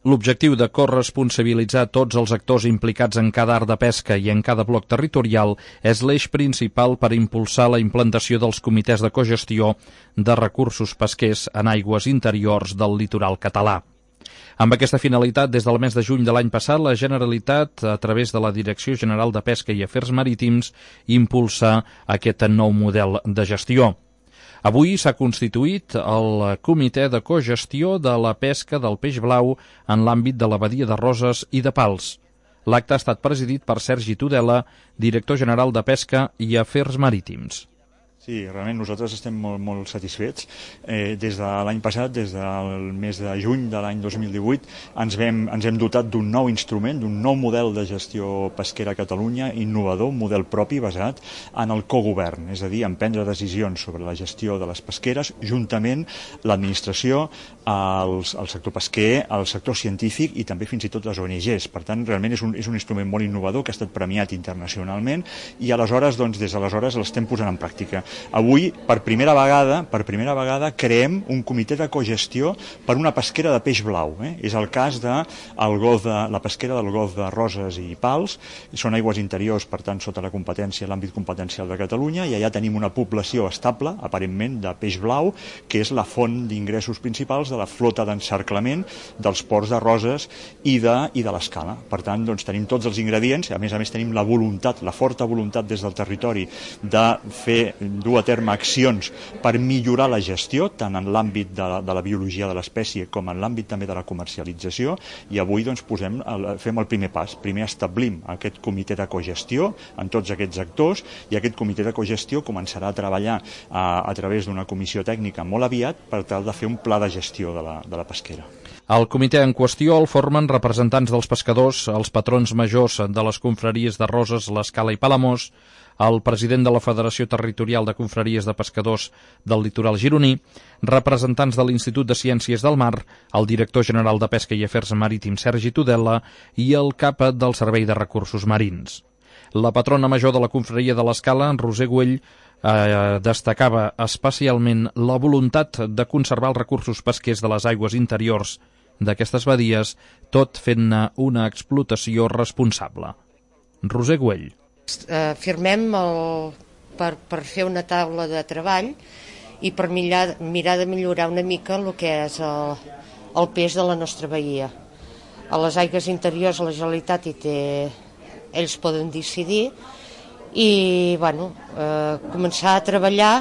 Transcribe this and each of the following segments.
L'objectiu de corresponsabilitzar tots els actors implicats en cada art de pesca i en cada bloc territorial és l'eix principal per impulsar la implantació dels comitès de cogestió de recursos pesquers en aigües interiors del litoral català. Amb aquesta finalitat, des del mes de juny de l'any passat, la Generalitat, a través de la Direcció General de Pesca i Afers Marítims, impulsa aquest nou model de gestió. Avui s'ha constituït el Comitè de Cogestió de la Pesca del Peix Blau en l'àmbit de la badia de Roses i de Pals. L'acte ha estat presidit per Sergi Tudela, director general de Pesca i Afers Marítims. Sí, realment nosaltres estem molt satisfets. Des de l'any passat, des del mes de juny de l'any 2018, ens hem dotat d'un nou instrument, d'un nou model de gestió pesquera a Catalunya, innovador, un model propi basat en el cogovern, és a dir, en prendre decisions sobre la gestió de les pesqueres, juntament l'administració, el sector pesquer, el sector científic i també fins i tot les ONGs. Per tant, realment és un instrument molt innovador que ha estat premiat internacionalment i aleshores, doncs, des d'aleshores l'estem posant en pràctica. Avui, per primera vegada, creem un comitè de cogestió per una pesquera de peix blau. És el cas de la pesquera del golf de Roses i Pals. Són aigües interiors, per tant, sota l'àmbit competencial de Catalunya, i allà tenim una població estable, aparentment, de peix blau, que és la font d'ingressos principals de la flota d'encerclament dels ports de Roses i de l'Escala. Per tant, doncs, tenim tots els ingredients, a més tenim la forta voluntat des del territori de dur a terme accions per millorar la gestió, tant en l'àmbit de la biologia de l'espècie com en l'àmbit també de la comercialització, i avui doncs, fem el primer pas. Primer establim aquest comitè de cogestió en tots aquests actors, i aquest comitè de cogestió començarà a treballar a través d'una comissió tècnica molt aviat per tal de fer un pla de gestió de la pesquera. El comitè en qüestió el formen representants dels pescadors, els patrons majors de les confraries de Roses, l'Escala i Palamós, el president de la Federació Territorial de Confraries de Pescadors del Litoral Gironí, representants de l'Institut de Ciències del Mar, el director general de Pesca i Afers Marítims Sergi Tudela i el cap del Servei de Recursos Marins. La patrona major de la confraria de l'Escala, Roser Güell, destacava especialment la voluntat de conservar els recursos pesquers de les aigües interiors d'aquestes badies, tot fent-ne una explotació responsable. Roser Güell. Firmem per fer una taula de treball i per mirar de millorar una mica el que és el peix de la nostra badia. A les aigües interiors la Generalitat ells poden decidir i començar a treballar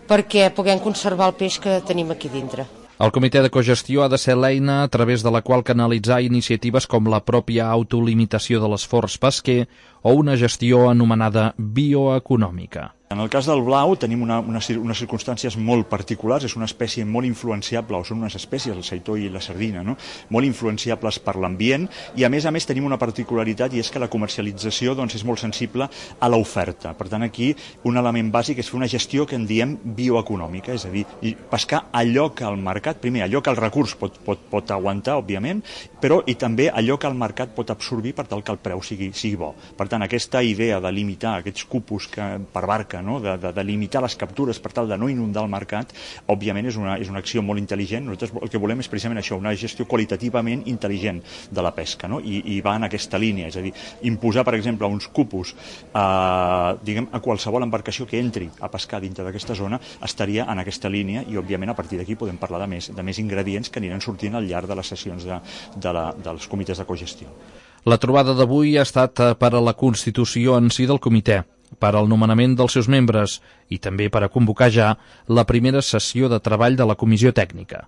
perquè puguem conservar el peix que tenim aquí dintre. El comitè de cogestió ha de ser l'eina a través de la qual canalitzar iniciatives com la pròpia autolimitació de l'esforç pesquer o una gestió anomenada bioeconòmica. En el cas del blau tenim unes circumstàncies molt particulars, és una espècie molt influenciable, o són unes espècies, el seitó i la sardina, no? Molt influenciables per l'ambient, i a més tenim una particularitat, i és que la comercialització és molt sensible a l'oferta. Per tant, aquí un element bàsic és fer una gestió que en diem bioeconòmica, és a dir, pescar allò que el mercat, primer, allò que el recurs pot aguantar, òbviament, però i també allò que el mercat pot absorbir per tal que el preu sigui bo. Per tant, aquesta idea de limitar aquests cupos per barca, de limitar les captures per tal de no inundar el mercat, òbviament és una acció molt intel·ligent. Nosaltres el que volem és precisament això, una gestió qualitativament intel·ligent de la pesca, no? I va en aquesta línia, és a dir, imposar, per exemple, uns cupos a qualsevol embarcació que entri a pescar dintre d'aquesta zona estaria en aquesta línia, i òbviament a partir d'aquí podem parlar de més ingredients que aniran sortint al llarg de les sessions dels comitès de cogestió. La trobada d'avui ha estat per a la constitució en si del comitè, per al nomenament dels seus membres i també per a convocar ja la primera sessió de treball de la comissió tècnica.